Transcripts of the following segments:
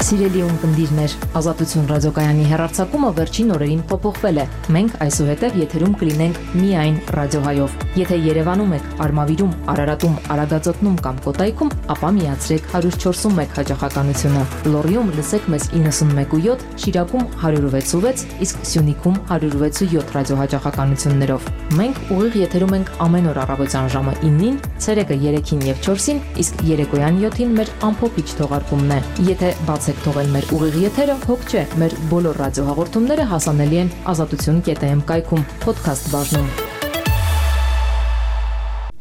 Սիրելի ունկնդիրներ, Ազատություն ռադիոկայանի հեռարձակումը վերջին օրերին փոփոխվել է։ Մենք այսուհետև եթերում կլինենք միայն ռադիոհայով։ Եթե Երևանում եք, Արմավիրում, Արարատում, Արագածոտնում կամ Կոտայքում, ապա միացրեք 104.1 հաճախականությունը։ Լոռիում լսեք մեզ 91.7, Շիրակում 106.6, իսկ Սյունիքում 106.7 ռադիոհաճախականություններով։ Մենք ուղիղ եթերում ենք ամեն օր առավոտյան ժամը 9-ին, ցերեկը 3-ին եւ 4-ին, իսկ երեկոյան 7-ին մեր ամփոփիչ թողարկումն է։ Եթե բացեք թողել մեր ուղիղ եթերը, հոգ չէ, մեր բոլոր ռադիոհաղորդումները հասանելի են azatutun.am կայքում, podcast բաժնում։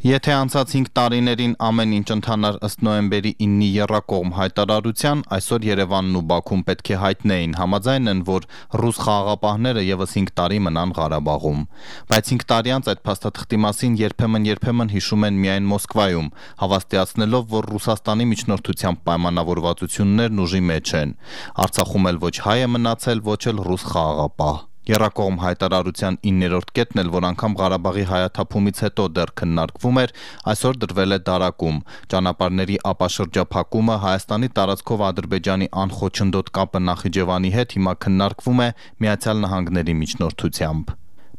Եթե անցած 5 տարիներին ամեն ինչ ընթանար ըստ նոյեմբերի 9-ի եռակողմ հայտարարության, այսօր Երևանն ու Բաքուն պետք է հայտնեին, համաձայն են, որ ռուս խաղաղապահները եւս 5 տարի մնան Ղարաբաղում։ Բայց 5 տարի անց այդ փաստաթղթի մասին երբեմն հիշում են միայն Մոսկվայում, հավաստիացնելով, որ Ռուսաստանի միջնորդությամբ պայմանավորվածություններն ուժի մեջ են։ Արցախում էլ ոչ հայ է մնացել, ոչ էլ ռուս խաղաղապահ։ Եռակողմ հայտարարության 9-րդ կետն էլ, որ անգամ Ղարաբաղի հայաթափումից հետո դեռ քննարկվում էր, այսօր դրվել է դարակում։ Ճանապարհների ապաշրջափակումը, Հայաստանի տարածքով Ադրբեջանի անխոչնդոտ կապը Նախիջևանի հետ հիմա քննարկվում է Միացյալ Նահանգների միջնորդությամբ։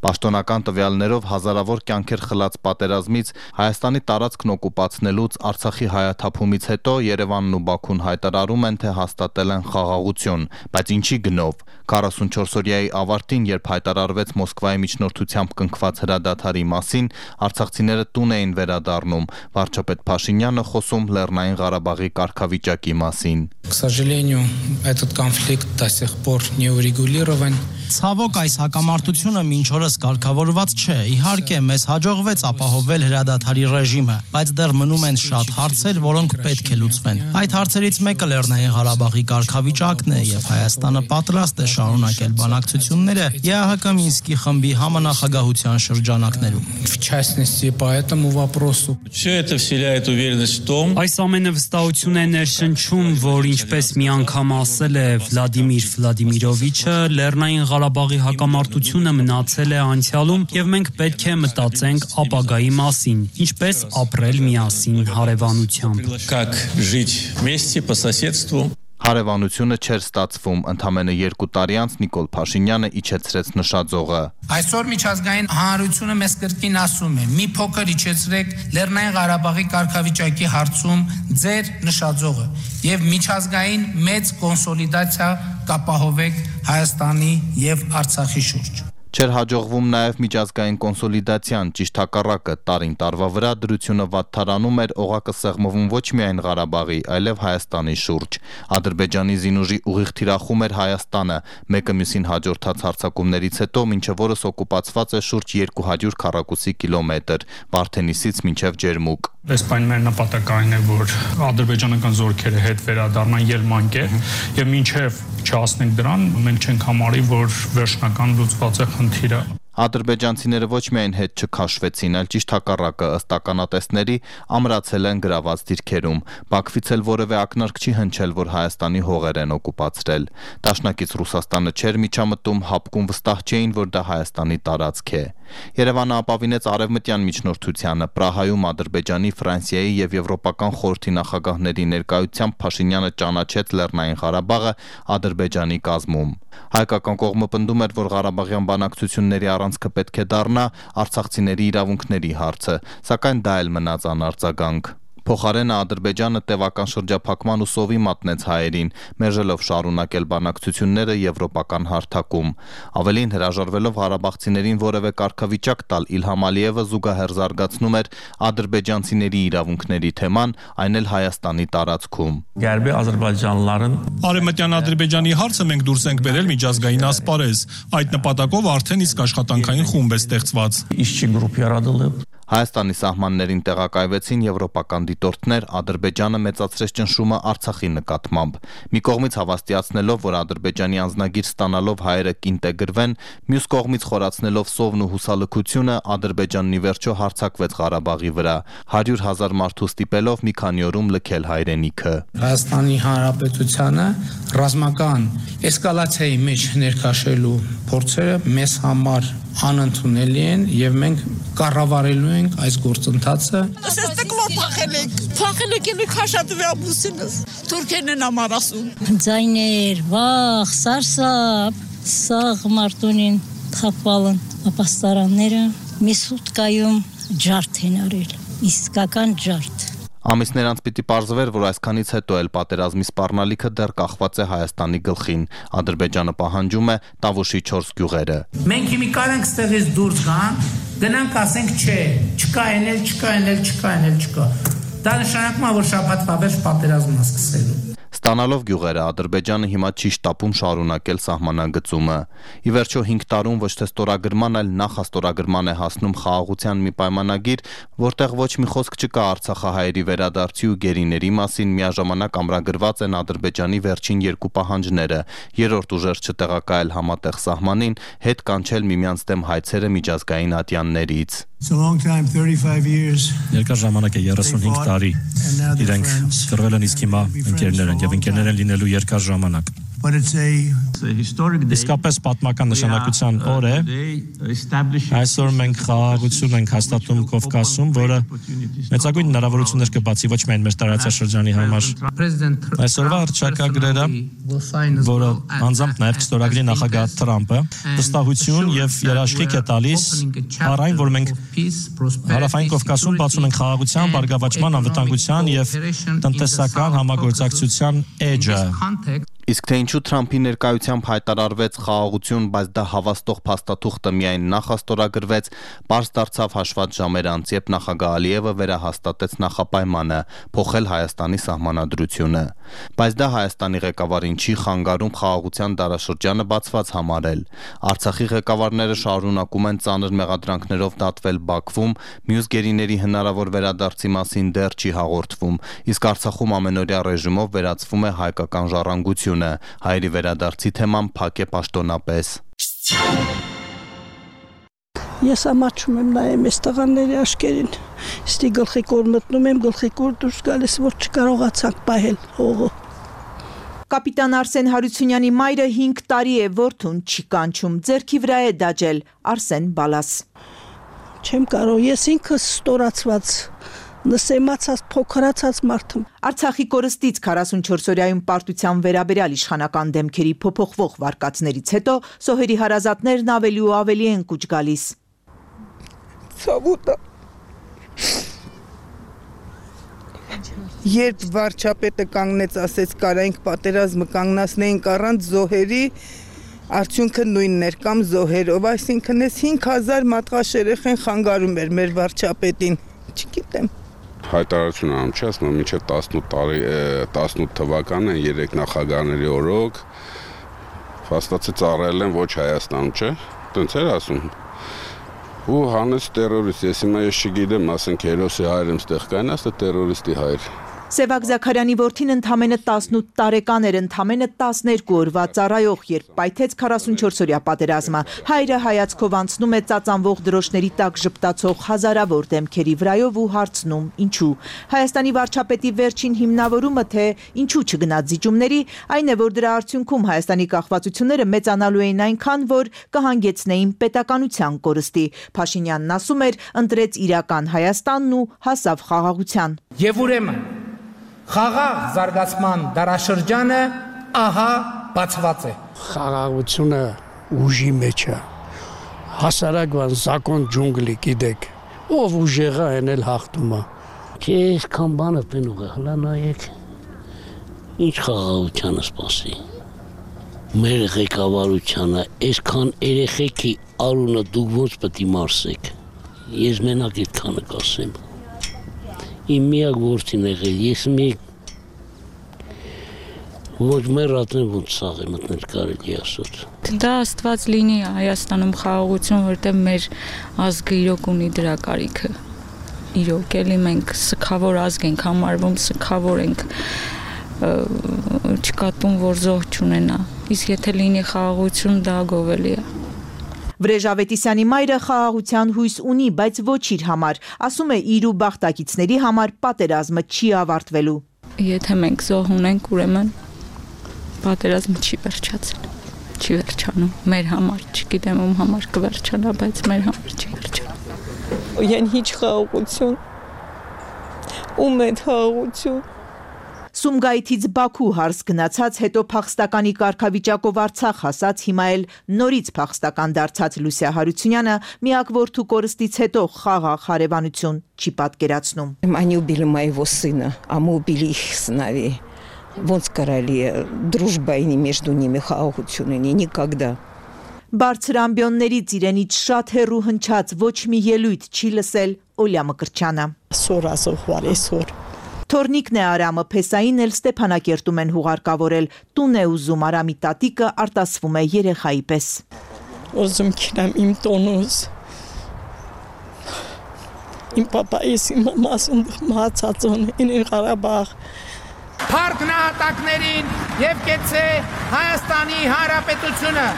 Պաշտոնական տվյալներով հազարավոր կյանքեր խլած պատերազմից, Հայաստանի տարածքն օկուպացնելուց, Արցախի հայաթափումից հետո Երևանն ու Բաքուն հայտարարում են, թե հաստատել են խաղաղություն, բայց ինչի գնով։ 44-օրյայի ավարտին, երբ հայտարարվեց Մոսկվայի միջնորդությամբ կնքված հրադադարի մասին, արցախցիները տուն էին վերադառնում, վարչապետ Փաշինյանը խոսում Լեռնային Ղարաբաղի կարգավիճակի մասին։ К сожалению, этот конфликт до сих пор не урегулирован. Ցավոք այս հակամարտությունը մինչ օրս կարգավորված չէ։ Իհարկե, մեզ հաջողվեց ապահովել հրադադարի ռեժիմը, բայց դեռ մնում են շատ հարցեր, որոնք պետք է լուծվեն։ Այդ հարցերից մեկը Լեռնային Ղարաբաղի կարգավիճակն է, եւ Հայաստանը պատրաստ է շարունակել բանակցությունները ԵԱՀԿ Մինսկի խմբի համանախագահության շրջանակներում։ В частности, по этому вопросу. Все это вселяет уверенность в том. Այս ամենը վստահություն է ներշնչում, որ ինչպես մի անգամ ասել է Վլադիմիր Վլադիմիրովիչը, Լեռնային Ղարաբաղի հակամարտությունը մնացել է անցյալում եւ մենք պետք է մտածենք ապագայի մասին, ինչպես ապրել միասին հարևանությամբ։ Как жить вместе по соседству. Հարևանությունը չէր ստացվում, ընդամենը 2 տարի անց Նիկոլ Փաշինյանը իջեցրեց նշաձողը։ Այսօր միջազգային հանրությունը մեզ կրկին ասում է՝ մի փոքր իջեցրեք Լեռնային Ղարաբաղի կարգավիճակի հարցում ձեր նշաձողը եւ միջազգային մեծ կոնսոլիդացիա կապահովեք Հայաստանի եւ Արցախի շուրջ։ Չէր հաջողվում նաև միջազգային կոնսոլիդացիան, ճիշտ հակառակը, տարին տարվա վրա դրությունը վատթարանում էր, օղակը սեղմվում ոչ միայն Ղարաբաղի, այլև Հայաստանի շուրջ։ Ադրբեջանի զինուժի ուղիղ թիրախում էր Հայաստանը, մեկը մյուսին հաջորդած հարձակումներից հետո մինչև օրս օկուպացված է շուրջ 200 քառակուսի կիլոմետր, Վարդենիսից մինչև Ջերմուկ։ Այս բանը մեր նպատակն է, որ ադրբեջանական զորքերը հետ վերադառնան ելմանկե եւ մինչեւ չհասնենք դրան, մենք չենք համարի, որ վերջնական լուծված է խնդիրը։ Ադրբեջանցիները ոչ միայն հետ չքաշվեցին, այլ ճիշտ հակառակը ըստ ականատեսների ամրացել են գրաված դիրքերում։ Բաքվից էլ որևէ ակնարկ չի հնչել, որ Հայաստանի հողեր են օկուպացրել։ Դաշնակից Ռուսաստանը չէր միջամտում, հապկում վստահ չէին, որ դա Հայաստանի տարածք է։ Երևանը ապավինեց արևմտյան միջնորդությանը, Պրահայում Ադրբեջանի, Ֆրանսիայի եւ Եվրոպական խորհրդի նախագահների ներկայությամբ Փաշինյանը ճանաչեց Լեռնային Ղարաբաղը Ադրբեջանի կազմում։ Հայկական կողմը պնդում էր, որ Ղարաբաղյան բանակցությունների առանցքը պետք է դառնա արցախցիների իրավունքների հարցը, սակայն դա էլ մնաց անարձագանք։ Փոխարենը Ադրբեջանը տևական շրջափակման ու սովի մատնեց հայերին, մերժելով շարունակել բանակցությունները եվրոպական հարթակում։ Ավելին, հրաժարվելով ղարաբաղցիներին որևէ կարգավիճակ տալ, Իլհամ Ալիևը զուգահեռ զարգացնում էր ադրբեջանցիների իրավունքների թեման, այն էլ Հայաստանի տարածքում։ Գերբի ադրբեջանlıların Արևմտյան Ադրբեջանի հարցը մենք դուրս ենք բերել միջազգային ասպարեզ։ Այդ նպատակով արդեն իսկ աշխատանքային խումբ է ստեղծված։ işçi grup yaratılıb. Հայաստանի սահմաններին տեղակայվեցին եվրոպական դիտորդներ, Ադրբեջանը մեծացրեց ճնշումը Արցախի նկատմամբ։ Մի կողմից հավաստիացնելով, որ Ադրբեջանի անձնագիր ստանալով հայերը կինտեգրվեն, մյուս կողմից խորացնելով սովն ու հուսալքությունը, Ադրբեջանն ի վերջո հարձակվեց Ղարաբաղի վրա, 100,000 մարդու ստիպելով մի քանի օրում լքել հայրենիքը։ Հայաստանի Հանրապետությանը ռազմական էսկալացիայի մեջ ներքաշելու փորձերը մեզ համար անընդունելի են եւ մենք կառավարելու ենք այս գործընթացը։ Թուրքերն են ամառասում։ Ձայներ, վախ, սարսափ, սաղ մարտունին թափվալն ապաստարանները մի սուտկայում ջարդ են արել, իսկական ջարդ։ Ամիսներ անց պիտի պարզվեր, որ այսքանից հետո էլ պատերազմի սպառնալիքը դեռ կախված է Հայաստանի գլխին։ Ադրբեջանը պահանջում է Տավուշի 4 գյուղերը։ Մենք հիմի կարենք ստեղից դուրս գանք, գնանք ասենք չէ, չկա։ Դա նշանակում է, որ շաբաթվա վերջ պատերազմը սկսելու։ Ստանալով գյուղերը, Ադրբեջանը հիմա չի շտապում շարունակել սահմանագծումը։ Ի վերջո 5 տարում ոչ թե ստորագրման, այլ նախաստորագրման է հասնում խաղաղության մի պայմանագիր, որտեղ ոչ մի խոսք չկա արցախահայերի վերադարձի ու գերիների մասին, միաժամանակ ամրագրված են Ադրբեջանի վերջին 2 պահանջները՝ երրորդ ուժեր չտեղակայել համատեղ սահմանին, հետ կանչել միմյանց դեմ հայցերը միջազգային ատյաններից։ Երկար ժամանակ է 35 տարի իրենք կռվել են, իսկ հիմա ընկերներ են եւ ընկերներ են լինելու երկար ժամանակ։ Իսկապես պատմական նշանակության օր է։ Այսօր մենք խաղաղություն ենք հաստատում Կովկասում, որը մեծագույն հնարավորություններ կբացի ոչ միայն մեր տարածաշրջանի համար։ Այսօրվա հռչակագրերը, որը անձամբ նաև կստորագրի նախագահ Թրամփը, վստահություն եւ երաշխիք է տալիս առ այն, որ մենք Հարավային Կովկասում բացում ենք խաղաղության, բարգավաճման, անվտանգության եւ տնտեսական համագործակցության էջը։ Իսկ թե ինչու Թրամփի ներկայությամբ հայտարարվեց խաղաղություն, բայց դա հավաստող փաստաթուղթը միայն նախաստորագրվեց, պարզ դարձավ հաշված ժամեր անց, երբ նախագահ Ալիևը վերահաստատեց նախապայմանը՝ փոխել Հայաստանի սահմանադրությունը։ Բայց դա Հայաստանի ղեկավարին չի խանգարում խաղաղության դարաշրջանը բացված համարել։ Արցախի ղեկավարները շարունակում են ծանր մեղադրանքներով դատվել Բաքվում, մյուս գերիների հնարավոր վերադարձի մասին դեռ չի հաղորդվում, իսկ Արցախում ամենօրյա ռեժիմով վերացվում է հայկական ժառանգությունը։ Հայերի վերադարձի թեման փակ է պաշտոնապես։ Ես ամաչում եմ նայեմ այս տղաների աշկերին, ստի գլխի կոր մտնում եմ, գլխի կոր դուրս գալիս, որ չկարողացանք պահել հողը։ Կապիտան Արսեն Հարությունյանի մայրը 5 տարի է որդուն չի կանչում, ձեռքի վրա է դաջել Արսեն Բալաս։ Չեմ կարող, ես ինքս ստորացված նսեմացած փոքրացած մարդ եմ։ Արցախի կորստից 44-օրյայում պարտության վերաբերյալ իշխանական դեմքերի փոփոխվող վարկածներից հետո սոհերի հարազատներն ավելի ու ավելի են կուչ գալիս։ Ցավոտ է։ Երբ վարչապետը կանգնեց, ասեց կարայինք պատերազմը կանգնացնեինք առանց զոհերի, արդյունքը նույնն էր կամ զոհերով, այսինքն այս 5000 մատղաշ երեխեն խանգարում էր մեր վարչապետին, չգիտեմ։ Հայտարարություն անում չի, ասում եմ մինչև 18 թվականը 3 նախագահների օրոք փաստացի ծառայել են ոչ Հայաստանում, չէ՞, տենց էր ասում։ Ու հանեց տերորիստ, ես հիմա ես չգիտեմ, ասենք հերոսի հայր եմ ստեղ կային, ասա տերորիստի հայր։ Սևակ Զաքարյանի որդին ընդամենը 18 տարեկան էր, ընդամենը 12 օրվա ծառայող, երբ պայթեց 44-օրյա պատերազմը։ Հայրը հայացքով անցնում է ծածանվող դրոշների տակ ժպտացող հազարավոր դեմքերի վրայով ու հարցնում՝ ինչու։ Հայաստանի վարչապետի վերջին հիմնավորումը, թե ինչու չգնաց զիջումների, այն է, որ դրա արդյունքում Հայաստանի կախվածությունները մեծանալու էին այնքան, որ կհանգեցնեին պետականության կորստի։ Փաշինյանն ասում էր, ընտրեց իրական Հայաստանն ու հասավ խաղաղության։ Եվ ուրեմն խաղաղ զարգացման դարաշրջանը ահա բացված է։ Խաղաղությունը ուժի մեջ է։ Հասարակական զակոն ջունգլի գիտեք, ով ուժեղա են էլ հաղթում է։ Չէ, այսքան բանը պենուղ է, հլա նայեք։ Ինչ խաղաղությանը սպասի։ Մեր ղեկավարությանը այսքան երեխեքի արունը դուք ոնց պետք է մարսեք։ Ես մենակ այդքանը կասեմ։ Իմ միակ որդին եղել, ես ոչ մեր ատեն ոնց սաղ է մտնել կարելի ասոց։ Դա աստված լինի Հայաստանում խաղաղություն, որտեղ մեր ազգը իրոք ունի դրա կարիքը։ Իրոք էլի մենք սքավոր ազգ ենք համարվում, սքավոր ենք, չկատում, որ զոհ չունենա։ Իսկ եթե լինի խաղաղություն, դա գովելի է։ Վրեժ Ավետիսյանի մայրը խաղաղության հույս ունի, բայց ոչ իր համար, ասում է իր ու բախտակիցների համար պատերազմը չի ավարտվելու։ Եթե մենք զոհ ունենք, ուրեմն պատերազմը չի վերջացել, չի վերջանում։ Մեր համար, չգիտեմ ում համար կվերջանա, բայց մեր համար չի վերջանում։ Յան հիչ խաղաղություն։ Ում է խաղաղություն։ Սումգայիթից Բաքու հարս գնացած, հետո փախստականի կարգավիճակով Արցախ հասած, հիմա էլ նորից փախստական դարձած Լուսիա Հարությունյանը միակ որդու կորստից հետո խաղաղ հարևանություն չի պատկերացնում։ Они убили моего сына, а мы убили их сыновей. Ոնց կարելի է дружба между ними խաղաղություն ունի, никогда։ Բարձր ամբիոններից իրենից շատ հեռու հնչած ոչ մի ելույթ չի լսել Օլյա Մկրտչյանը։ Սոր ասողվար այսօր։ Թորնիկն է Արամը, Փեսային էլ Ստեփանակերտում են հուղարկավորել, տուն է ուզում, Արամի տատիկը արտասվում է երեխայի պես։ Ուզում քինեմ իմ տոնուս։ Իմ պապայիս իմ մամասում մահացածոն ինին Ղարաբաղ։ Փառք նահատակներին եւ կեցե Հայաստանի Հանրապետությունը։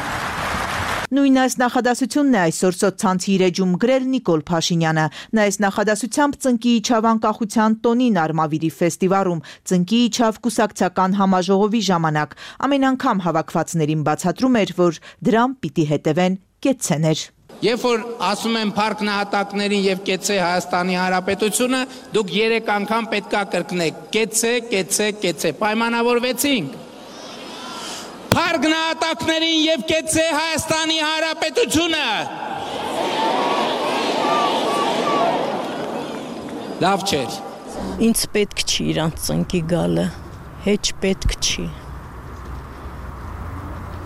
Նույն այս նախադասությունն է այսօր սոցցանցի իր էջում գրել Նիկոլ Փաշինյանը։ Նա այս նախադասությամբ ծնկի իջավ անկախության տոնին Արմավիրի ֆեստիվալում, ծնկի իջավ կուսակցական համաժողովի ժամանակ։ Ամեն անգամ հավաքվածներին բացատրում էր, որ դրան պիտի հետևեն կեցցեներ։ Երբ որ ասում են փառք նահատակներին եւ կեցե Հայաստանի Հանրապետությունը, դուք 3 անգամ պետքա կրկնեք. կեցե, կեցե, կեցե։ Պայմանավորվեցինք։ Փառք նահատակներին եւ կեցե Հայաստանի Հանրապետությունը։ Լավ չէր։ Ինձ պետք չի իրանց ծնկի գալը, հեչ պետք չի։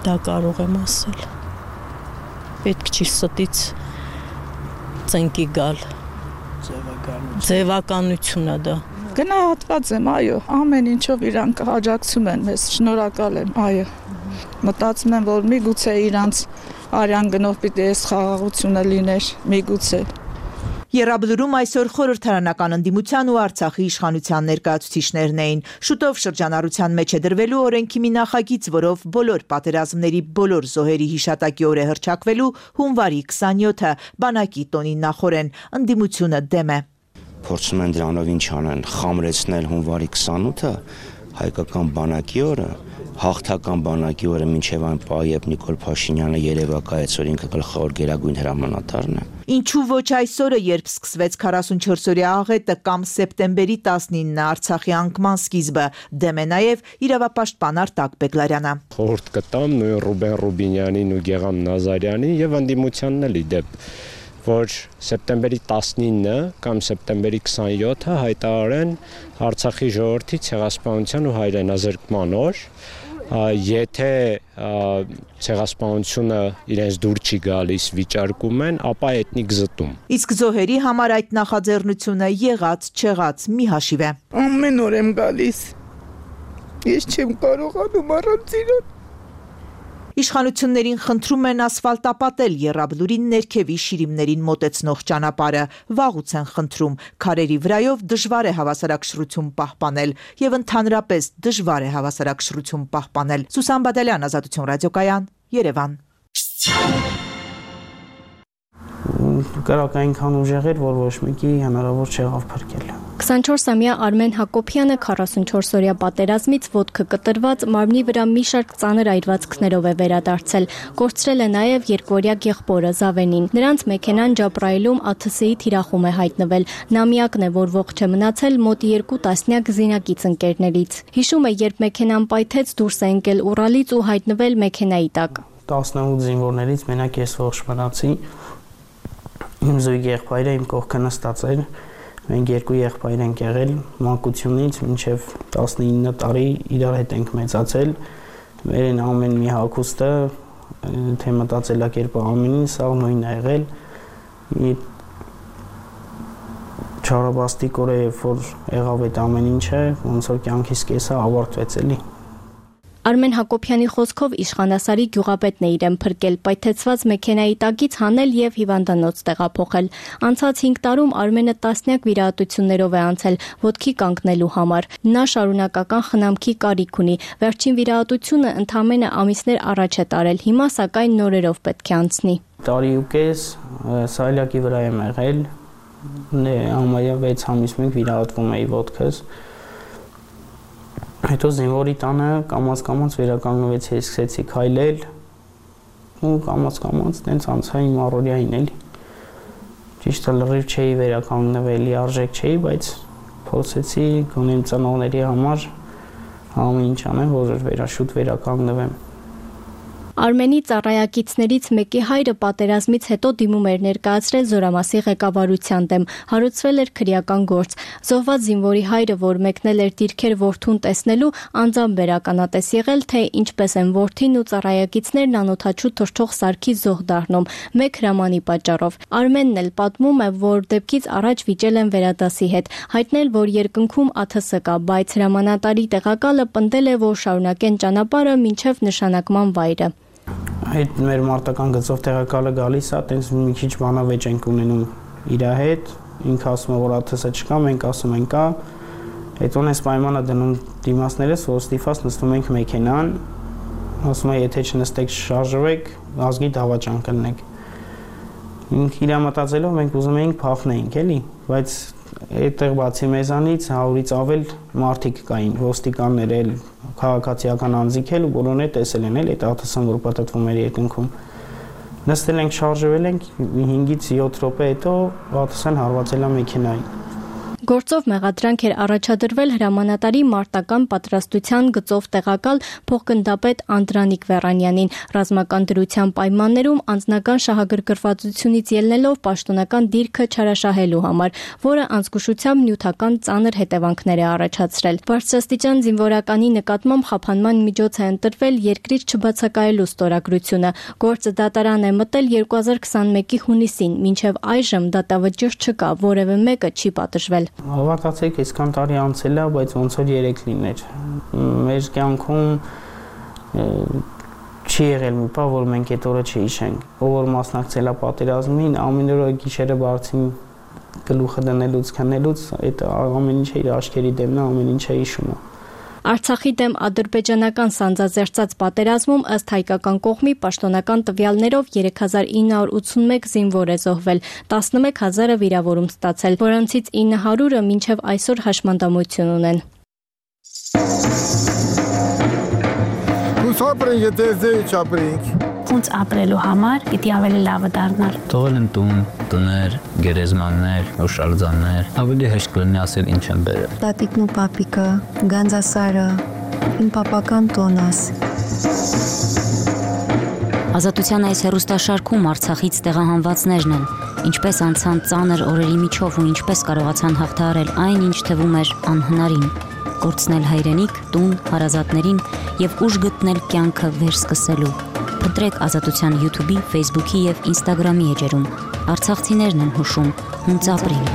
Դա կարող եմ ասել։ Պետք չի ստից ծնկի գալ։ Ձևականությունն է դա։ Գնահատված եմ, այո, ամեն ինչով իրան կհաջակցում են մեզ, շնորհակալ եմ, այո։ Մտածում եմ, որ միգուցե իրանց արյան գնով պիտի այս խաղաղությունը լիներ, միգուցե։ Եռաբլուրում այսօր խորհրդարանական ընդդիմության ու Արցախի իշխանության ներկայացուցիչներն էին։ Շուտով շրջանառության մեջ է դրվելու օրենքի մի նախագիծ, որով բոլոր պատերազմների բոլոր զոհերի հիշատակի օր է հռչակվելու հունվարի 27-ը, բանակի տոնի նախորեն, ընդդիմությունը դեմ է։ Փորձում են դրանով ինչ անեն, խամրեցնել հունվարի 28-ը, հայկական բանակի օրը, հաղթական բանակի օրը մինչև այն պահ, երբ Նիկոլ Փաշինյանը երևակայեց, որ ինքը գլխավոր գերագույն հրամանատարն է։ Ինչու ոչ այսօրը, երբ սկսվեց 44-օրյա աղետը կամ սեպտեմբերի 19-ը Արցախի անկման սկիզբը, դեմ է նաև իրավապաշտպան Արտակ Բեգլարյանը։ Խորհուրդ կտամ նույն Ռուբեն Ռուբինյանին ու Գեգամ Նազարյանին եւ ընդդիմությանն էլ իդեպ, որ սեպտեմբերի 19-ը կամ սեպտեմբերի 27-ը հայտարարեն Արցախի ժողովրդի ցեղասպանության ու հայրենազրկման օր։ Եթե ցեղասպանությունը իրենց դուր չի գալիս, վիճարկում են, ապա էթնիկ զտում։ Իսկ զոհերի համար այդ նախաձեռնությունը եղած, չեղած մի հաշիվ է։ Ամեն օր եմ գալիս։ Ես չեմ կարողանում առանց իրան։ Իշխանություններին խնդրում են ասֆալտապատել Եռաբլուրի ներքևի շիրիմներին մոտեցնող ճանապարհը, վաղուց են խնդրում, քարերի վրայով դժվար է հավասարակշռություն պահպանել եւ ընդհանրապես դժվար է հավասարակշռություն պահպանել։ Սուսան Բադալյան, Ազատություն ռադիոկայան, Երևան։ Կրակ այնքան ուժեղ էր, որ ոչ մեկի հնարավոր չեղավ փրկել։ 24-ամյա Արմեն Հակոբյանը 44-օրյա պատերազմից ոտքը կտրված մարմնի վրա մի շարք ծանր այրվածքներով է վերադարձել։ Կորցրել է նաև երկորյա եղբորը Զավենին։ Նրանց մեքենան Ջաբրայիլում ԱԹՍ-ի թիրախում է հայտնվել։ Նա միակն է, որ ողջ է մնացել մոտ 2 տասնյակ զինակից ընկերներից։ Հիշում է, երբ մեքենան պայթեց, դուրս է ընկել Ուրալից ու հայտնվել մեքենայի տակ։ 18 զինվորներից մենակ ես ողջ մնացի։ Իմ զույգ եղբայրը իմ կողքը նստած էր։ Մենք երկու եղբայր ենք եղել, մանկությունից մինչև 19 տարի իրար հետ ենք մեծացել։ Մեր ամեն մի հագուստը, թե մտածելակերպը ամենին, սա նույնն է եղել։ Մի չարաբաստիկ օր է, որ եղավ այդ ամեն ինչը, ոնց որ կյանքիս կեսը ավարտվեց էլի։ Արմեն Հակոբյանի խոսքով իշխանասարի գյուղապետն է իրեն փրկել, պայթեցված մեքենայի տակից հանել եւ հիվանդանոց տեղափոխել։ Անցած 5 տարում Արմենը տասնյակ վիրահատություններով է անցել ոտքի կանգնելու համար։ Նա շարունակական խնամքի կարիք ունի։ Վերջին վիրահատությունը ընդամենը ամիսներ առաջ է տարել, հիմա սակայն նորերով պետք է անցնի։ Տարի ու կես սայլակի վրա եմ եղել, համարյա 6 ամիս մենք վիրահատվում էի ոտքս։ Հետո զինվորի տանը կամաց վերականգնվեցի, սկսեցի քայլել, ու կամաց տենց անցա իմ առօրյային էլի։ Ճիշտ է լրիվ չէի վերականգնվելի, արժեք չէի, բայց փորձեցի գոնե իմ ծնողների համար ամեն ինչ անեմ, որ շուտ վերականգնվեմ։ Արմենի ծառայակիցներից մեկի հայրը պատերազմից հետո դիմում էր ներկայացրել Զորամասի ղեկավարության դեմ, հարուցվել էր քրեական գործ։ Զոհված զինվորի հայրը, որ մեկնել էր դիրքեր որդուն տեսնելու, անձամբ վերականատես եղել, թե ինչպես են որդին ու ծառայակիցներն անօթաչու թռչող սարքի զոհ դառնում, մեկ հրամանի պատճառով։ Արմենն էլ պատմում է, որ դեպքից առաջ վիճել են վերադասի հետ, հայտնել, որ երկնքում ԱԹՍ կա, բայց հրամանատարի տեղակալը պնդել է, որ շարունակեն ճանապարհը մինչև նշանակման վայրը։ Այդ մեր մարտական գծով տեղակալը գալիս է, տենց մի քիչ բանավեճ ենք ունենում իր հետ, ինքը ասում է, որ ԱԹՍ չկա, մենք ասում ենք կա, հետո այս պայմանը դնում դիմացներս, որ ստիփաց նստում ենք մեքենան, ասում է, եթե չնստեք շարժվեք, ազգի դավաճան կլնեք։ Իր մտածելով մենք ուզում էինք փախնեինք, էլի, բայց այդտեղ բացի մեզանից 100-ից ավել մարդիկ կային, ոստիկաններ էլ, քաղաքացիական անձիկ էլ ու բոլորն էլ տեսել են էլ այդ ԱԹՍ-ն, որ պատտվում էր երկնքում։ Նստել ենք, շարժվել ենք, 5-ից 7 րոպե հետո ԱԹՍ-ն հարվածել է մեքենային։ Գործով մեղադրանք էր առաջադրվել հրամանատարի մարտական պատրաստության գծով տեղակալ փոխգնդապետ Անդրանիկ Վերանյանին, ռազմական դրության պայմաններում անձնական շահագրգռվածությունից ելնելով պաշտոնական դիրքը չարաշահելու համար, որը անզգուշությամբ նյութական ծանր հետևանքներ է առաջացրել։ Բարձրաստիճան զինվորականի նկատմամբ խափանման միջոց է ընտրվել երկրից չբացակայելու ստորագրությունը։ Գործը դատարան է մտել 2021-ի հունիսին, մինչև այժմ դատավճիռ չկա, որևէ մեկը չի պատժվել։ Հավատացեք, այսքան տարի անցել է, բայց ոնց որ 3 լիներ։ Մեր կյանքում չի եղել մի բան, որ մենք այդ օրը չհիշենք։ Ով որ մասնակցել է պատերազմին, ամեն օր գիշերը բարձին գլուխը դնելուց, քնելուց, այդ ամեն ինչը իր աչքերի դեմն է, ամեն ինչը հիշում է։ Արցախի դեմ ադրբեջանական սանձազերծած պատերազմում ըստ հայկական կողմի պաշտոնական տվյալներով 3981 զինվոր է զոհվել, 11000-ը վիրավորում ստացել, որոնցից 900-ը մինչև այսօր հաշմանդամություն ունեն։ Ապրենք, եթե ձեի չապրենք։ Ոնց ապրելու համար պիտի ավելի լավը դառնալ։ Թողել են տուն, տներ, գերեզմաններ, հուշարձաններ, ավելի հեշտ կլինի ասել ինչ են բերել։ Տատիկն ու պապիկը, Գանձասարը, իմ պապական տոնս։ Ազատության այս հեռուստաշարքում Արցախից տեղահանվածներն են, ինչպես անցան ծանր օրերի միջով ու ինչպես կարողացան հաղթահարել այն, ինչ թվում էր անհնարին, կորցնել հայրենիք, տուն, հարազատներին եւ ուժ գտնել կյանքը վերսկսելու։ Փնտրեք Ազատության YouTube-ի, Facebook-ի եւ Instagram-ի էջերում։ Արցախցիներն են հուշում, հունց ապրենք։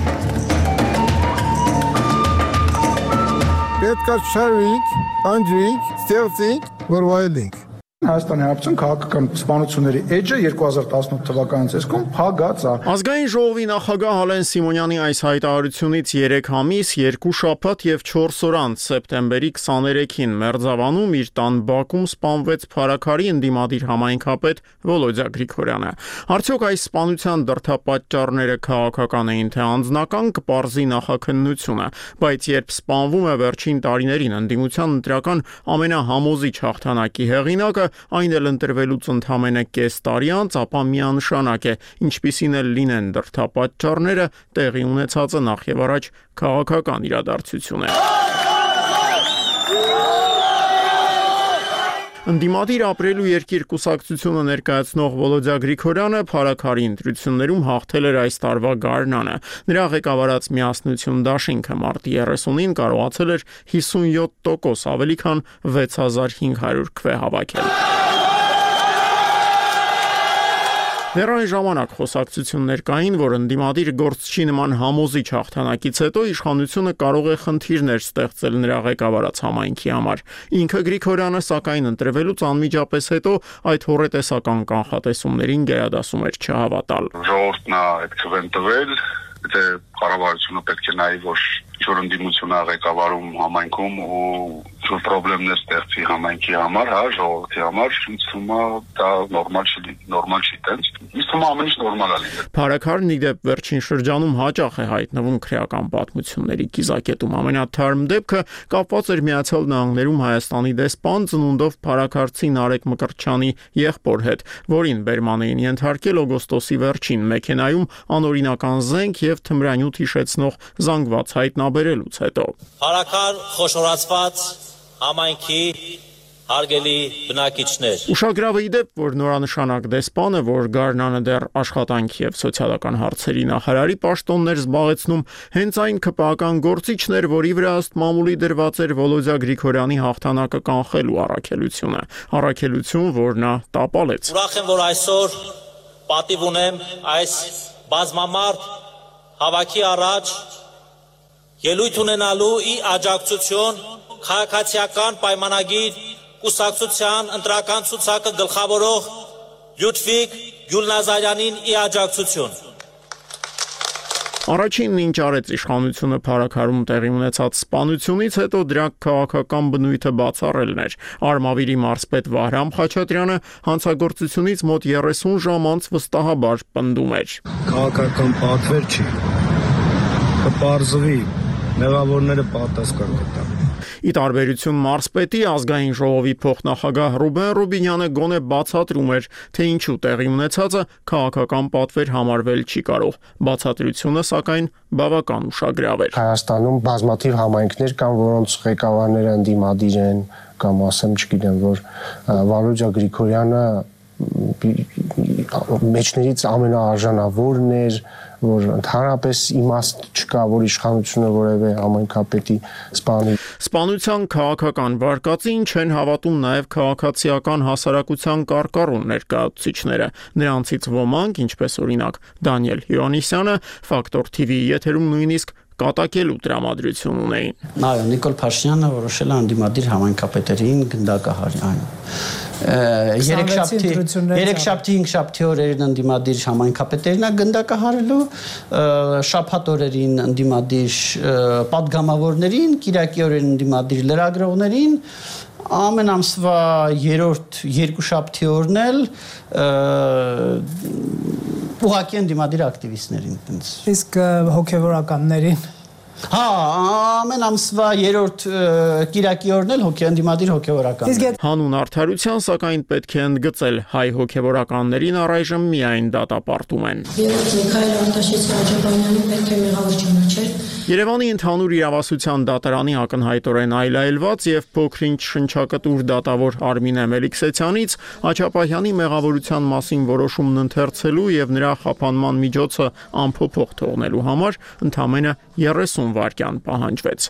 Պետք է շարվենք, անջրենք, ստեղծենք, որ վայելենք։ Հայաստանի Հանրապետության քաղաքական սպանությունների էջը 2018 թվականից այսքան փակած է։ Ազգային ժողովի նախագահ Ալեն Սիմոնյանի այս հայտարարությունից 3 ամիս, 2 շաբաթ եւ 4 օր անց սեպտեմբերի 23-ին Մերձավանում իր տան բակում սպանվեց Փարաքարի ընդդիմադիր համայնքապետ Վոլոդյա Գրիգորյանը։ Արդյոք այս սպանության դրդապատճառները քաղաքական էին թե անձնական, կպարզի նախաքննությունը, բայց երբ սպանվում է վերջին տարիներին ընդդիմության ընտրական ամենահամոզիչ հաղթանակի հեղինակը, այն էլ ընտրվելուց ընդամենը կես տարի անց, ապա միանշանակ է, ինչպիսին էլ լինեն դրդապատճառները, տեղի ունեցածը նախ եւ առաջ քաղաքական իրադարձություն է։ Ընդդիմադիր ապրելու երկիր կուսակցությունը ներկայացնող Վոլոդյա Գրիգորյանը Փարաքարի ընտրություններում հաղթել էր այս տարվա գարնանը։ Նրա ղեկավարած Միասնություն դաշինքը մարտի 30-ին կարողացել էր 57% ավելի քան 6500 քվե հավաքել։ Դեռ այն ժամանակ խոսակցություններ կային, որ ընդդիմադիր գործչի նման համոզիչ հաղթանակից հետո իշխանությունը կարող է խնդիրներ ստեղծել նրա ղեկավարած համայնքի համար։ Ինքը Գրիգորյանը սակայն ընտրվելուց անմիջապես հետո այդ հոռետեսական կանխատեսումներին գերադասում էր չհավատալ։ Ժողովուրդն է այդ քվեն տվել, եթե կառավարությունը պետք է նայի, որ ինչ-որ ընդդիմություն ղեկավարում համայնքում ու ինչ-որ խնդիրներ ստեղծի համայնքի համար, հա, ժողովրդի համար, ինձ թվում է դա նորմալ չի տենց։ Ինձ թվում է ամեն ինչ նորմալ է լինել։ Փարաքարն ի դեպ վերջին շրջանում հաճախ է հայտնվում քրեական պատմությունների կիզակետում։ Ամենաթարմ դեպքը կապված էր Միացյալ Նահանգներում Հայաստանի դեսպան ծնունդով փարաքարցի Նարեկ Մկրտչյանի եղբոր հետ, որին բերման էին ենթարկել օգոստոսի վերջին մեքենայում անօրինական զենք եւ թմրանյութ հիշեցնող զանգված հայտնաբերելուց հետո։ Փարաքար խոշորացված համայնքի հարգելի բնակիչներ։ Ուշագրավ է ի դեպ, որ նորանշանակ դեսպանը, որ գարնանը դեռ աշխատանքի եւ սոցիալական հարցերի նախարարի պաշտոններ զբաղեցնում, հենց այն ԿՊԱ-ական գործիչն էր, որի վրա ըստ մամուլի դրված էր Վոլոդյա Գրիգորյանի հաղթանակը կանխելու առաքելությունը, առաքելություն, որ նա տապալեց։ Ուրախ եմ, որ այսօր պատիվ ունեմ այս բազմամարդ հավաքի առաջ ելույթ ունենալու ի աջակցություն քաղաքացիական պայմանագիր կուսակցության ընտրական ցուցակը գլխավորող Լյուդվիգ Գյուլնազարյանին ի աջակցություն։ Առաջինն ինչ արեց իշխանությունը Փարաքարում տեղի ունեցած սպանությունից հետո դրա քաղաքական բնույթը բացառելն էր։ Արմավիրի մարզպետ Վահրամ Խաչատրյանը հանցագործությունից մոտ 30 ժամ անց վստահաբար պնդում էր. Քաղաքական պատվեր չի, կպարզվի, մեղավորները պատասխան կտան։ Ի տարբերություն մարզպետի ազգային ժողովի փոխնախագահ Ռուբեն Ռուբինյանը գոնե բացատրում էր, թե ինչու տեղի ունեցածը քաղաքական պատվեր համարվել չի կարող։ Բացատրությունը, սակայն, բավական ուշագրավ էր։ Հայաստանում բազմաթիվ համայնքներ կան, որոնց ղեկավարները ընդդիմադիր են, կամ ասեմ, չգիտեմ, որ Վոլոդյա Գրիգորյանը մեջներից ամենաարժանավորն էր, որ ընդհանրապես իմաստ չկա, որ իշխանությունը որևէ համայնքապետի սպանի։ Սպանության քաղաքական վարկածին չեն հավատում նաև քաղաքացիական հասարակության կարկառուն ներկայացուցիչները։ Նրանցից ոմանք, ինչպես օրինակ Դանիել Հյուանիսյանը, Ֆակտոր TV-ի եթերում նույնիսկ կատակելու տրամադրություն ունեին։ Այո, Նիկոլ Փաշինյանը որոշել է ընդդիմադիր համայնքապետերին գնդակահարել։ Երեքշաբթի 5 օրերին ընդդիմադիր համայնքապետերին գնդակահարելու, շաբաթ օրերին ընդդիմադիր պատգամավորներին, կիրակի օրերին ընդդիմադիր լրագրողներին, ամեն ամսվա 3-րդ երկուշաբթի օրն էլ ուղղակի ընդդիմադիր ակտիվիստներին։ Իսկ հոգևորականներին։ Հա, ամեն ամսվա 3-րդ կիրակի օրն էլ ընդդիմադիր հոգևորական։ Հանուն արդարության, սակայն պետք է ընդգծել, հայ հոգևորականներին առայժմ միայն դատապարտում են։ Երևանի ընդհանուր իրավասության դատարանի ակնհայտորեն այլայլված եւ փոքրինչ շնչակտուր դատավոր Արմինե Մելիքսեթյանից Աչապահյանի մեղավորության մասին որոշումն ընթերցելու եւ նրա խափանման միջոցը անփոփոխ թողնելու համար ընդամենը 30 վայրկյան պահանջվեց։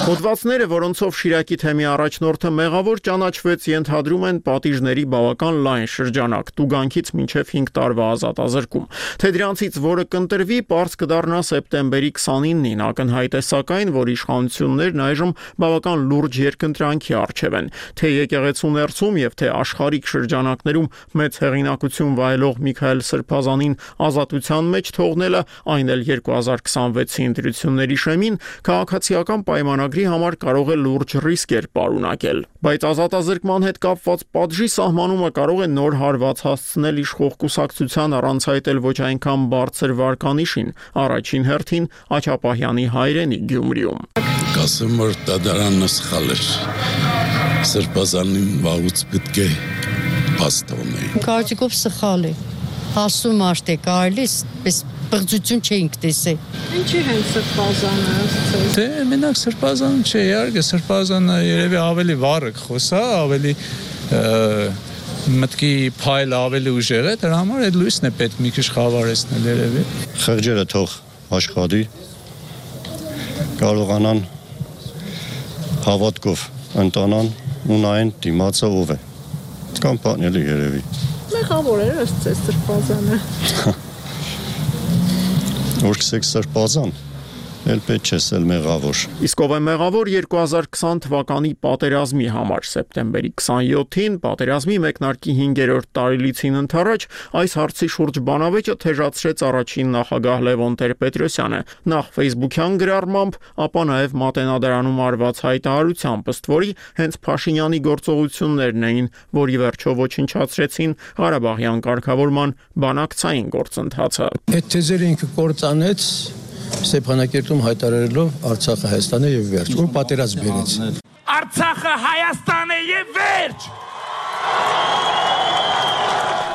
Հոդվածները, որոնցով Շիրակի թեմի առաջնորդը մեղավոր ճանաչվեց, ենթադրում են պատիժների բավական լայն շրջանակ, տուգանքից մինչև 5 տարվա ազատազրկում։ Թե դրանցից որը կընտրվի, պարզ կդառնա սեպտեմբերի 29-ին, ակնհայտ է սակայն, որ իշխանություններն այժմ բավական լուրջ երկընտրանքի առջև են։ Թե եկեղեցու ներսում եւ թե աշխարհիկ շրջանակներում մեծ հեղինակություն վայելող Միքայել Սրբազանին ազատության մեջ թողնելը, այն էլ 2026-ի ընտրությունների շեմին, քաղաքացիական պայմանագրի համար կարող է լուրջ ռիսկեր պարունակել։ Բայց ազատազրկման հետ կապված պատժի սահմանումը կարող է նոր հարված հասցնել իշխող կուսակցության առանց այտել ոչ այնքան բարձր վարկանիշին, առաջին հերթին Աչապահյանի հայրենի Գյումրիում։ Կասեմ, որ դատարանը սխալ էր։ Սրբազանին վաղուց պետք է փաստորեն։ Կարծիքով սխալ է։ Հասու մարդ է կարելի, պես բղջություն չէինք տեսել։ Ինչի հենց Սրբազանը ասացել։ Դե մենակ Սրբազանը չէ, իհարկե Սրբազանը երևի ավելի վառը խոսա, ավելի մտքի փայլը ավելի ուժեղ է, դրա համար այդ լույսն է պետք մի քիչ խավարեցնել երևի։ Խղճերը թող աշխատի, կարողանան հավատքով ընտանան ու նայեն դիմացը ով է։ Կամ պատնելի երևի։ Մեղավոր էր Սրբազանը։ Որ կսեք Սրբազան, էլ պետք չէ սել մեղավոր։ Իսկ ով է մեղավոր 2020 թվականի պատերազմի համար սեպտեմբերի 27-ին պատերազմի մեկնարկի 5-րդ տարելիցին ընթരാճ այս հարցի շուրջ բանավեճը թեժացրեց առաջին նախագահ Լևոն Տեր-Պետրոսյանը, նախ Facebook-յան գրառմամբ, ապա նաև Մատենադարանում արված հայտարարությամբ, ըստ որի հենց Փաշինյանի գործողություններն էին, որի վերջով ոչնչացրեցին Ղարաբաղյան կարգավորման բանակցային գործընթացը։ Այդ թեզերը ինքը կործանեց Ստեփանակերտում հայտարարելով Արցախը Հայաստան է եւ վերջ, որ պատերազմ բերեց։ Արցախը Հայաստան է եւ վերջ։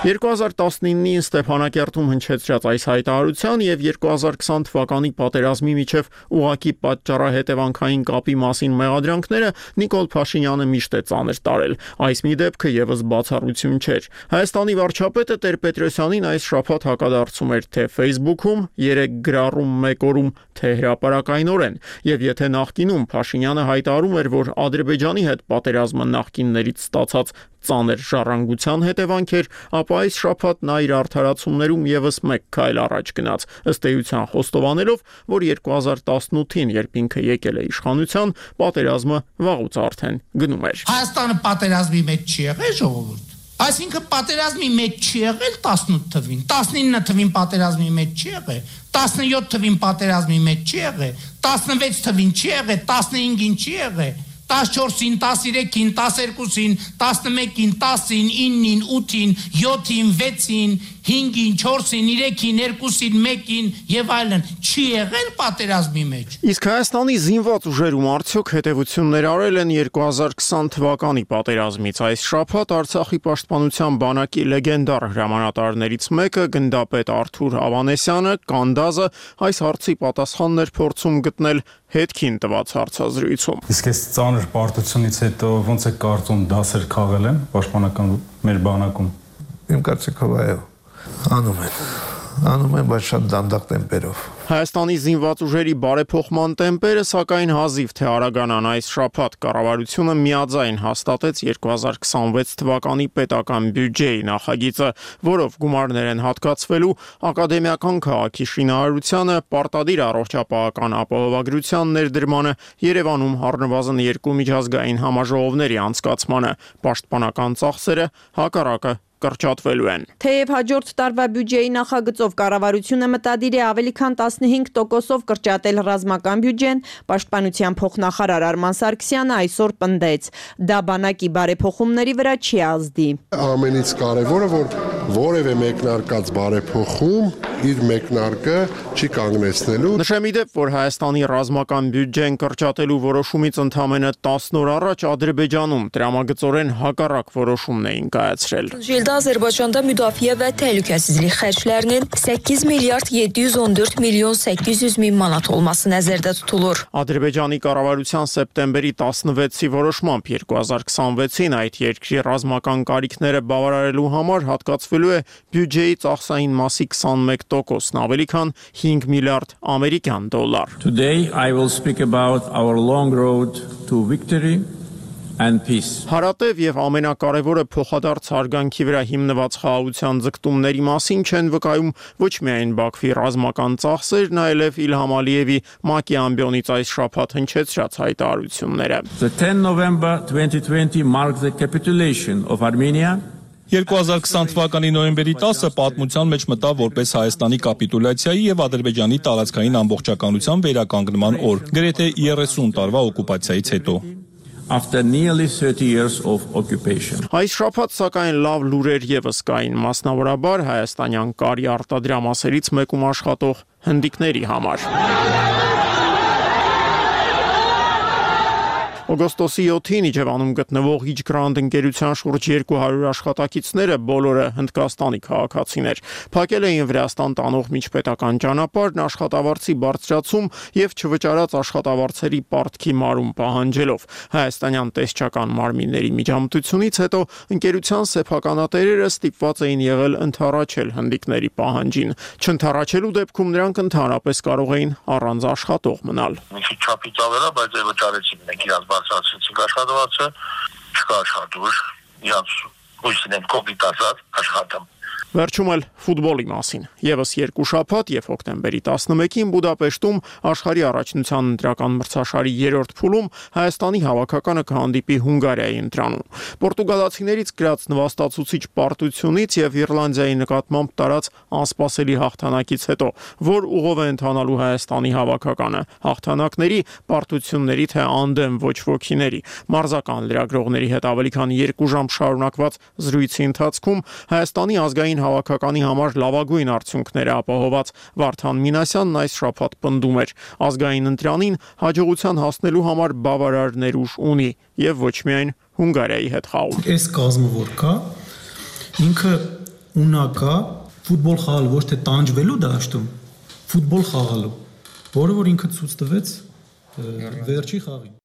2019-ին Ստեփանակերտում հնչեցրած այս հայտարարության եւ 2020 թվականի պատերազմի միջև ուղակի պատճառահետևանքային կապի մասին մեղադրանքները Նիկոլ Փաշինյանը միշտ է ծանր տարել։ Այս մի դեպքը եւս բացառություն չէր։ Հայաստանի վարչապետը Տեր-Պետրոսյանին այս շաբաթ հակադարձում էր թե Facebook-ում, 3 գրառում 1 օրում, թե հրապարակայնորեն, եւ եթե նախկինում Փաշինյանը հայտարարում էր, որ Ադրբեջանի հետ պատերազմը նախկիններից ստացած ծանր ժառանգության հետևանք էր, ապա այս շաբաթ նա իր արդարացումներում եւս մեկ քայլ առաջ գնաց, ըստ էության խոստովանելով, որ 2018-ին, երբ ինքը եկել է իշխանության, պատերազմը վաղուց արդեն գնում էր։ Հայաստանը պատերազմի մեջ չի եղել, ժողովուրդ։ Այսինքն պատերազմի մեջ չի եղել 18 թվին, 19 թվին պատերազմի մեջ չի եղել, 17 թվին պատերազմի մեջ չի եղել, 16 թվին չի եղել, 15-ին չի եղել, 14-ին, 13-ին, 12-ին, 11-ին, 10-ին, 9-ին, 8-ին, 7-ին, 6-ին, 5-ին, 4-ին, 3-ին, 2-ին, 1-ին եւ այլն չի եղել պատերազմի մեջ։ Իսկ Հայաստանի զինված ուժերում արդյոք հետևություններ արել են 2020 թվականի պատերազմից։ Այս շաբաթ Արցախի պաշտպանության բանակի լեգենդար հրամանատարներից մեկը գնդապետ Արթուր Ավանեսյանը Կանդազը այս հարցի պատասխաններ փորձում գտնել հետքին տված հարցազրույցում։ Իսկ այս ծանր պարտությունից հետո ոնց է կարծում դասեր քաղել են պաշտպանական մեր բանակում։ Իմ կարծիքով այո, անում են, բայց շատ դանդաղ տեմպերով։ Հայաստանի զինված ուժերի բարեփոխման տեմպերը սակայն հազիվ թե արագանան այս շաբաթ կառավարությունը միաձայն հաստատեց 2026 թվականի պետական բյուջեի նախագիծը, որով գումարներ են հատկացվելու ակադեմիական քաղաքի շինարարությանը, պարտադիր առողջապահական ապահովագրության ներդրմանը, Երևանում առնվազն 2 միջազգային համաժողովների անցկացմանը, պաշտպանական ծախսերը հակառակը կրճատվելու են։ Թեև հաջորդ տարվա բյուջեի նախագծով կառավարությունը մտադիր է ավելի քան 15%-ով կրճատել ռազմական բյուջեն, պաշտպանության փոխնախարար Արման Սարգսյանը այսօր պնդեց, դա բանակի բարեփոխումների վրա չի ազդի։ Ամենից կարևորը, որ որևէ մեկնարկած բարեփոխում իր մեկնարկը չի կանգնեցնելու։ Նշեմ ի դեպ, որ Հայաստանի ռազմական բյուջեն կրճատելու որոշումից ընդամենը 10 օր առաջ Ադրբեջանում տրամագծորեն հակառակ որոշումն էին կայացրել։ İldə Azərbaycanda müdafiə və təhlükəsizlik xərclərinin 8 milyard 714 milyon 800 min manat olması nəzərdə tutulur. Ադրբեջանի կառավարության սեպտեմբերի 16-ի որոշմամբ 2026-ին այդ երկրի ռազմական կարիքները բավարարելու համար հատկացվելու է բյուջեի ծախսային մասի 21%-ն, ավելի քան 5 միլիարդ ամերիկյան դոլար։ Today I will speak about our long road to victory. Հարատև եւ ամենակարևորը փոխադարձ հարգանքի վրա հիմնված խաղաղության ձգտումների մասին չեն վկայում ոչ միայն Բաքվի ռազմական ծախսերն, այլև Իլհամ Ալիևի ՄԱԿ-ի ամբիոնից այս շաբաթ հնչեցրած հայտարարությունները։ The 10 November 2020 marked the capitulation of Armenia. 2020 թվականի նոյեմբերի 10-ը պատմության մեջ մտավ որպես Հայաստանի կապիտուլյացիայի եւ Ադրբեջանի տարածքային ամբողջականության վերականգնման օր, գրեթե 30 տարվա օկուպացիայից հետո։ After nearly 30 years of occupation. Այս շաբաթ սակայն լավ լուրեր եւս կային, մասնավորաբար հայաստանյան կարի արտադրամասերից մեկում աշխատող հնդիկների համար։ Օգոստոսի 7-ին Իջևանում գտնվող Իջգրանդ ընկերության շուրջ 200 աշխատակիցները բոլորը Հնդկաստանի քաղաքացիներ փակել էին Վրաստան տանող միջպետական ճանապարհն աշխատավարձի բարձրացում եւ չվճարած աշխատավարձերի պարտքի մարում պահանջելով։ Հայաստանյան տեսչական մարմինների միջամտությունից հետո ընկերության սեփականատերերը ստիպված էին եղել ընդառաջել հնդիկների պահանջին։ Չընդառաջելու դեպքում նրանք ընդհանրապես կարող էին առանց աշխատող մնալ։ Չափից ավելա, բայց վճարեցին մենք իրաց բարձրացրեցինք աշխատավարձը, չկա աշխատուր, իրանց հույսին են կոպիտ ասած աշխատում։ Վերջում էլ ֆուտբոլի մասին։ Եվս 2 շաբաթ եւ հոկտեմբերի 11-ին Բուդապեշտում աշխարհի առաջնության ընտրական մրցաշարի 3-րդ փուլում Հայաստանի հավաքականը կհանդիպի Հունգարիայի ընտրանում։ Պորտուգալացիներից գրած նվաստացուցիչ պարտությունից եւ Իռլանդիայի նկատմամբ տարած անսպասելի հաղթանակից հետո, որ ուղով է ընթանալու Հայաստանի հավաքականը, հաղթանակների, պարտությունների թե անդեմ ոչ ոքիների։ Մարզական լրագրողների հետ ավելի քան 2 ժամ շարունակված զրույցի ընթացքում Հայաստանի ազգային հավաքականի համար լավագույն արդյունքները ապահոված Վարդան Մինասյանն այս շաբաթ պնդում էր. ազգային ընտրանին հաջողության հասնելու համար բավարար ներուժ ունի եւ ոչ միայն Հունգարիայի հետ խաղում։ Այս կազմը որ կա, ինքը ունակա ֆուտբոլ խաղալ ոչ թե տանջվելու դաշտում, ֆուտբոլ խաղալու, որը որ ինքը ցույց տվեց վերջի խաղին։